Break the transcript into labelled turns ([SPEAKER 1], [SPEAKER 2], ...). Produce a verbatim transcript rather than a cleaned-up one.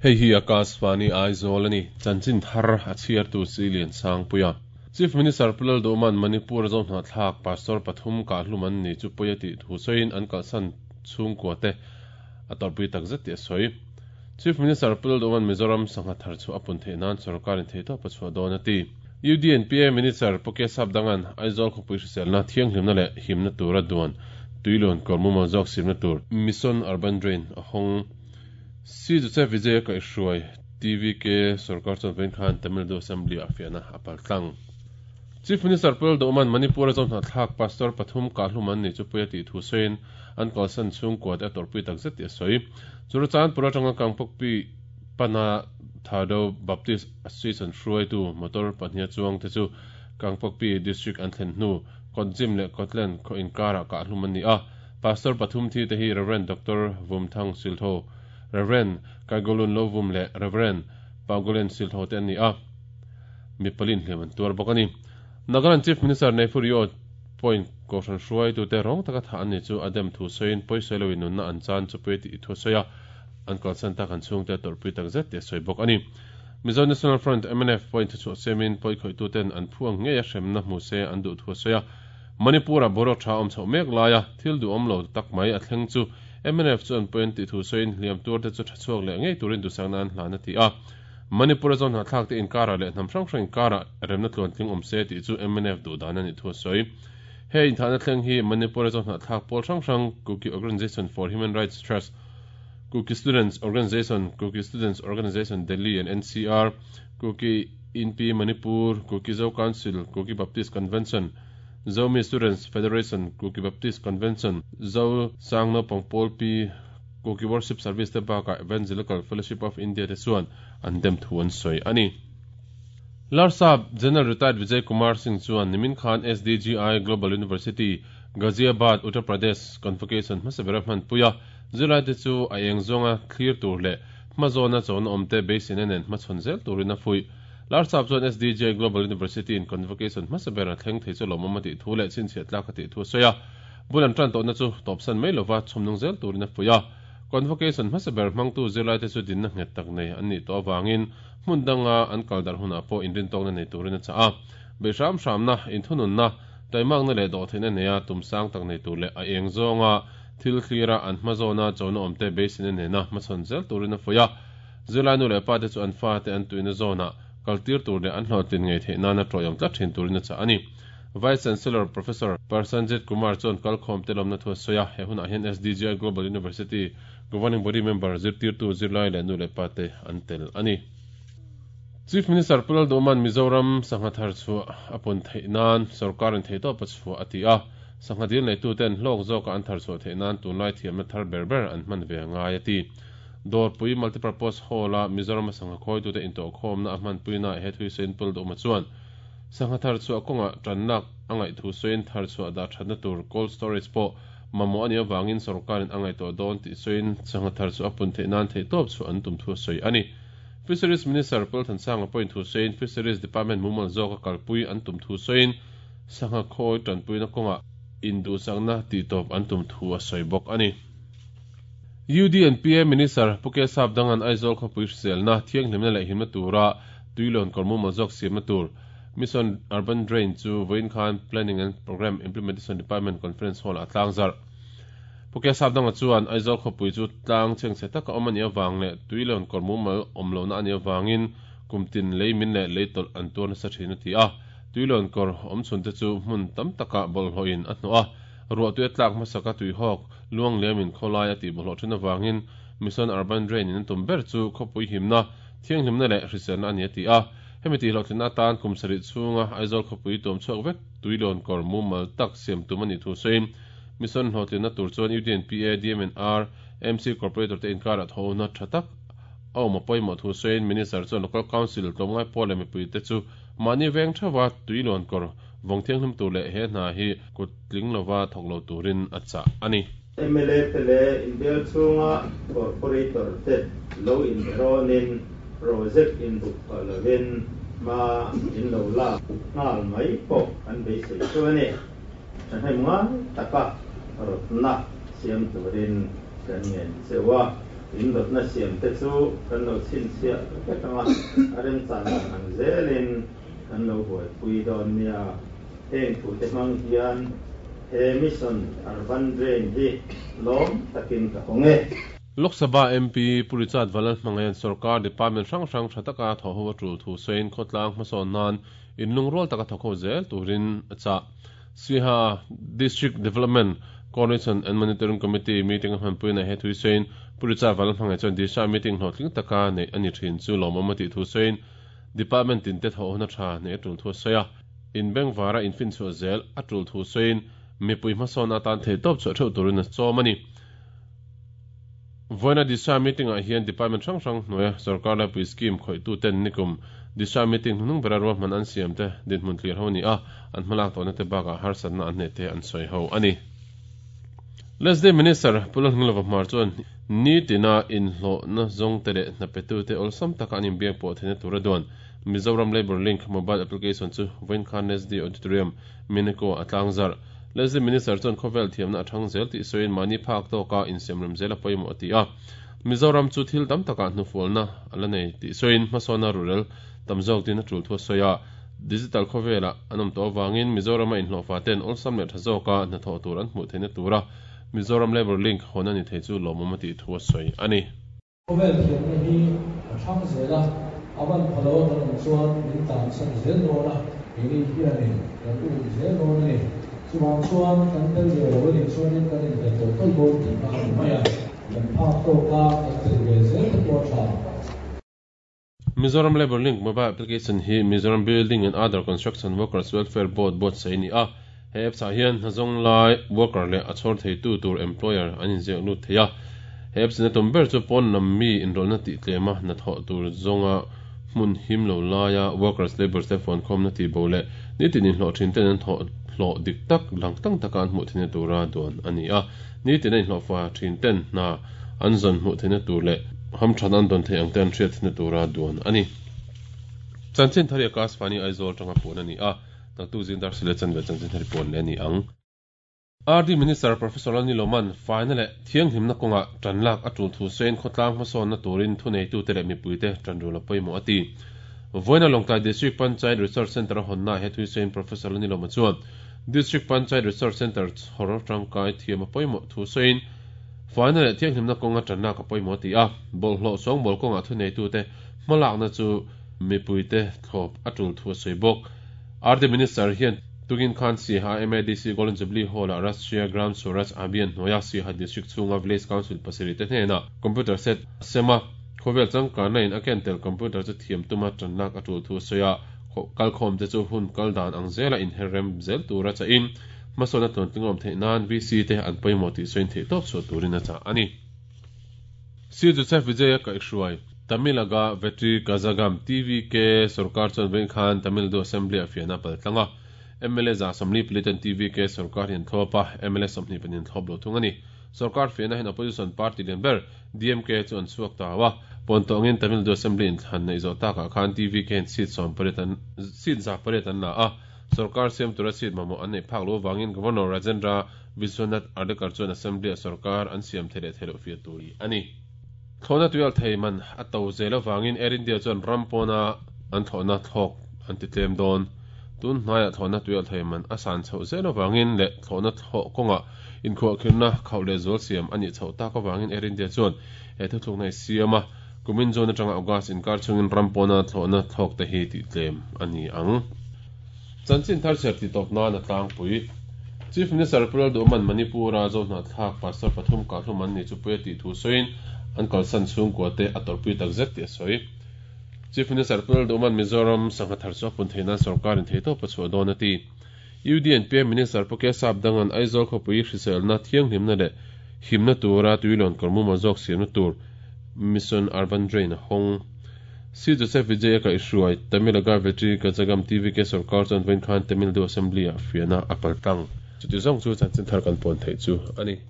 [SPEAKER 1] Hei hi Akashvani Aizawl ani chanchin thar a chhiartu Silian Sangpuia Chief Minister Pulal Doman Manipur zo hna thlak pastor pathum ka hluman ni chu poyati thusoin an kalsan chhungkua te a torpui takzet ti a sawi Chief Minister Pulal Doman Mizoram sangha thar chu apun theinan sarkarin theito pachua dawn ati U D N P A Minister Poke Sapdangan Aizawl khawpui hriselna thianghlimna leh himna tura duan tuilun kawrmuma zawk simna tur Mission Urban Drain a hawng C Joseph Vijay ka hruai T V K sarkar chuan vawiin khan Tamil Nadu Assembly a fiahna a paltlang Chief Minister Pulal Doman Manipur a zawm hna thlak pastor pathum ka hluman ni chu puia tih thu sawiin an kalsan chhungkua te a torpui takzet ti a sawi Churachandpur atanga Kangpokpi pana Thado Baptist Association hruaitu motor pahnih chuang te chu Kangpokpi District an thlen hnu Kotjim leh Kotlen khaw inkara ka hlum an ni a Pastor pathum thi te hi Reverend Doctor Vumthang Siltho Reverend Kaigolun Lovum leh Reverend Paugolen Siltho te an ni a mipalin hliam an tuar bawk ani Nagaland Chief Minister Neiphurio point kohhran hruaitu te rawng taka tha an ni chu adem thu sawiin pawisawi loin nunna an chan chu pui ti thu sawi a an kalsan tak an chhungte torpui takzet ti a sawi bawk ani Mizo National Front M N F point chu semin pawi khoitu ten an phuang ngei a hremna hmu se an duh thu sawi a Manipur a borok tha awm chho mek laia thil du awm lo tak mai a thleng chu M N F chu an point ti thu sawiin hliam tur te chu tha chhuak leh ngei turin dusakna an hlan a ti a Manipur a zawn hna thlak te inkara leh hnam hrang hrang inkara remna tluan tling awm se tih chu M N F duh dan ani thu sawi hei inthahna thleng hi Manipur a zawn hna thlak pawl hrang hrang Kuki Organization for Human Rights Trust Kuki Students Organization Kuki Students Organization Delhi and N C R Kuki I N P Manipur Kuki Zo Council Kuki Baptist Convention Zomi Students Federation Kuki Baptist Convention Zo Sangno Pangpol P Kuki Worship Service te baka Evangelical Fellowship of India te chuan an dem thu an sawi ani Larsap General Retired Vijay Kumar Singh chuan nimin khan S D G I Global University Ghaziabad Uttar Pradesh Convocation hmasabera hman puia Zulai te chu a eng zawnga thlir tur leh hmazawna chawn awm te beisin nen hmachhawn zel turin a fui Larsap chuan S D G I Global University in Convocation hmasabera thleng thei chu lawmawm a tih thu leh chhinchhiah tlak a tih thu a sawi a bulan tan tawhna chu tawpsan mai lova chhawmnung zel turin a fui a Convocation hmasaber hmangtu zirlai te chu dinna nghet tak nei an nih tawh awangin hmun danga an kaldar hunah pawh inrin tawkna nei turin a chah a beihram hramna inthununna taimakna leh dawh theihna neia tumsang tak nei tur leh a eng zawnga thil thlira an hmazawna chawna awm te beisin nena hmachhawn zel turin a fui a zirlai nu leh pa te chu an fa te an tuina zawna kaltir tur leh an hlawhtlin ngei theih nana tawih tlat thin turin a chah ani Vice Chancellor Professor Parsanjit Kumar chuan kalkhawm te lawmna thu a sawi a he hunah hian S D G I Global University Governing Body Member zirtirtu zirlai leh nu leh pa te an tel ani Chief Minister Pulal Doman Mizoram sangha thar chu apun theinan sarkarin theito pachua ati a sangha dil nei tu ten hlawk zawka an thar chu theinan tunlai thiamna thar ber ber an hman ve ngai ati Dorpui Multipurpose Hall a Mizoram sangha khoi tu te into khawmna a hman puina he thui sein Pulal Doma chuan sangha thar chu kawnga tannak angai thu soin thar chu da thatna tur cold storage po mamo ani awangin sarkarin angai to dawn ti soin sangha thar chu apun theinan thei top chu an tum thu soi ani Fisheries Minister Paul Thansanga point thu soin Fisheries Department mumal zawka kalpui an tum thu soin sangha khoi tanpui na kawnga indu sangna ti top an tum thu a soi bawk ani U D N P A Minister Puke Sapdangan Aizawl khawpui hriselna thianghlimna leh himna tura tuilun kawrmumal zawk siamna tur Mission Urban Drain chu vawiin khan Planning and Program Implementation Department Conference Hall a tlang zarh Puke Sapdanga chuan Aizawl khawpui chu tlang chhengchhe taka awm ani awang leh tuilun kawrmumal awm lohna ani awangin kumtin lei min leh lei tawlh an tuar nasa thin a ti a tuilun kawr awm chhun te chu hmun tam taka bawlhhlawhin a hnawh a ruah tui a tlak hmasaka tuihawk luang liamin khawlai a tih bawlhhlawh thin awangin Mission Urban Drain in an tum ber chu khawpui himna thianghlimna leh hriselna ani a ti a hemi tih hlawhtlinna atan kum sarih chhunga Aizawl khawpui tuam chhuak vek tuilun kawr mumal tak siam tum ani thu sawiin Mission hlawhtlinna tur chuan U D N P A D M N R M C Corporator te inkara thona tha tak a awm a pawimawh thu sawiin Minister chuan Local Council tlawmngai pawl leh mipui te chu mahni veng thawa tuilun kawr vawng thianghlim tur leh he hna hi kut tling lova thawk lo turin a chah ani
[SPEAKER 2] M L A te leh inbial chhunga corporator te lo inberawnin project inbuk phah lovin ma in lo lak nghal mai pawh an beisei chu ani thahnem ngai taka rawtna siam turin kan ngen chewa In rawtna siam te chu kan lo chhinchhiah vek anga a remchan dan ang zelin kan lo buaipui dawn nia. Heng thu te hmang hian he Mission Urban Drain hi lawm takin ka hawng e.
[SPEAKER 1] Lok Sabha M P Pu Richard Vanlalhmangaian sorkar department hrang hrang tha taka thawh ho a tul thu sawiin khawtlang hmasawn nan inlungrual taka thawk ho zel turin a chah. Siaha District Development Coordination and Monitoring Committee meeting a hmanpuina he thui sawiin Pu Richard Vanlalhmangaih chuan Disha meeting hlawhtling taka nei ani thin chu lawmawm a tih thu sawiin department tin te thawh hona tha nei a tul thu a sawi a. Inbengvara infinchhuah zel a tul thu sawiin mipui hmasawn atan thei tawp chhuah theuh turin a chawm a ni. Voina Disha meeting ah hian department hrang hrang hnuaia sorkar laipui scheme khawihtu ten nikum Disha meeting hnuhnung bera ruahman an siam te dinhmun thlir ho a ni a, an hmalak tawhna te bakah harsatna an hne te an sawi ho a ni. Leslie Minister Pu Lalhnilova Hmar chuan nitina inhlawhna zawng te leh hnapetu te awlsam taka an inbiak pawh theihna tura duan Mizoram Labour Link mobile application chu vawiin Leslie Auditorium Mineko a tlangzarh. Leslie Minister chuan khawvel thiamna a thang zel tih sawiin mahni phak tawka insiamrem zel a pawimawh a ti a. Mizoram chu thil tam takah hnufualna a la nei tih sawiin hmasawna rurel tam zawk din a tul thu a sawi a. Digital khawvelah an awm tawh avangin Mizorama inhlawhfa ten awlsam leh tha zawka hnathawh tur an hmuh theihna tura Mizoram Labour Link hawn a ni thei chu lawmawm a tih thu a sawi a ni.
[SPEAKER 3] Khawvel thiamna hi a thang zel a, a ban phalo a kan awm chuan min tlansan zel dawn a, keini hianin kan um zel dawn a ni. Chuvang chuan kan tel ve lo a nih chuanin kan inhlet tawlh tawlh dawn tihna a ni mai a, kan phak tawka kan tel ve zel te pawh a tha.
[SPEAKER 1] Mizoram Labour Link mobile application hi Mizoram Building and Other Construction Workers Welfare Board buatsaih a ni a. He apps ah hian hnazawng lai worker leh a chhawr theitu tur employer an inziak lut thei a. He apps in a tum ber chu pawn lam mi inrawlhna tih tlema hnathawh tur zawnga hmun him lo laia workers labour te phone khawmna tih bo leh nitin inhlawh thin ten an thawh hlawh dik tak lang tang taka an hmuh theihna tura duan a ni a. Nitin a inhlawhfa thin ten hna an zawn hmuh theihna tur leh hamthan an dawn thei ang te an hriat theihna tura duan a ni. Chanchin thari Akashvani Aizawl tanga puan a ni a. Naktuk zing dar sile chanve chanchin thari puan leh a ni ang. R D Minister Professor Lalniloman faina leh thianghlimna kawnga tanlak a tul thu sawiin khawtlang hmasawnna turin thuneitu te leh mipuite tanrul a pawimawh a ti. Voina Lawngtlai District Panchayat Research Centre a hawnna he thui sawiin Professor Lalniloma chuan District Panchayat Research Centre chhawr tangkai thiam a pawimawh thu sawiin faina leh thianghlimna kawnga tanlak a pawimawh a ti a. Bawlhhlawh sawngbawl kawnga thuneitu te hmalakna chu mipuite thlawp a tul thu a sawi bawk. R D Minister hian tugin khan Siaha M A D C Golden Jubilee Hall a Rashtriya Gram Swaraj Abhiyan hnuaia Siaha District chhunga Village Council pasarih te hnena computer set sema khawvel changkanna in a ken tel computer chu thiam tuma tanlak a tul thu a sawi a. Kalkhawm te chu hun kal dan ang zela inherrem zel tura cha in hmasawna tluantling awm theih nan V C te an pawimawh tih sawiin theih tawp chhuah turin a chah a ni. Sir Joseph Vijaya Kaihhruai Tamilaga Vetri Kazhagam T V K sarkar chuan vawiin khan Tamil Nadu Assembly a fiahna paltlang a. M L A za sawmli pali T V K sarkar hian thlawp a, M L A sawmhnih pahnih thlawp lo thung a ni. Sarkar fiahna hian opposition party lian ber D M K chu an chhuak ta a. Pawntawngin Tamil Nadu Assembly inthlan nei zawh takah khan T V K in seat sawm pariat an seat za pariat an la a. Sarkar siam tura seat mamawh an nei phak lo wangin Governor Rajendra Vishwanath Ardekar chuan Assembly a sarkar an siam thei leh thei loh fiah tur a ni. Thlawhna tuial thei man a to zel awangin Air India chuan rampawna an thlawhna thlawk an ti tlem dawn. Tun hnaia thlawhna tuial thei man a san chhoh zel awangin leh thlawhna thlawh kawnga inkhuahkhirna khauh leh zual siam a nih chhoh tak awangin Air India chuan he thuthlukna hi siam a. Kumin June atanga August inkar chungin rampawna thlawhna thlawk te hi tih tlem a ni ang. Chanchin thar chhiar ti tawp nan a tlangpui. Chief Minister Pu Lalduhoman Manipura Zohnahthlak Pastor pathum kahlum an ni chu pui a tih thu sawiin an kalsan chhungkua te a tawrhpui tak zet tih a sawi. Chief Minister Pu Lalduhoman Mizoram sangha thar chu a pun theihnan sarkarin thei tawp a chhuah dawn a ti. U D N P M Minister Pu Kesap dangan Aizawl khawpui hriselna thianghlimna leh himna tura tuilawn kawrmuma zawk siamna tur Mission Urban Drain a hawng. C Joseph Vijaya Kaihhruai Tamilaga Vetri Kazhagam T V K sarkar chuan vawiin khan Tamil Nadu Assembly a fiahna a paltlang. Chuti zawng chu chanchin thar kan puan theih chu a ni.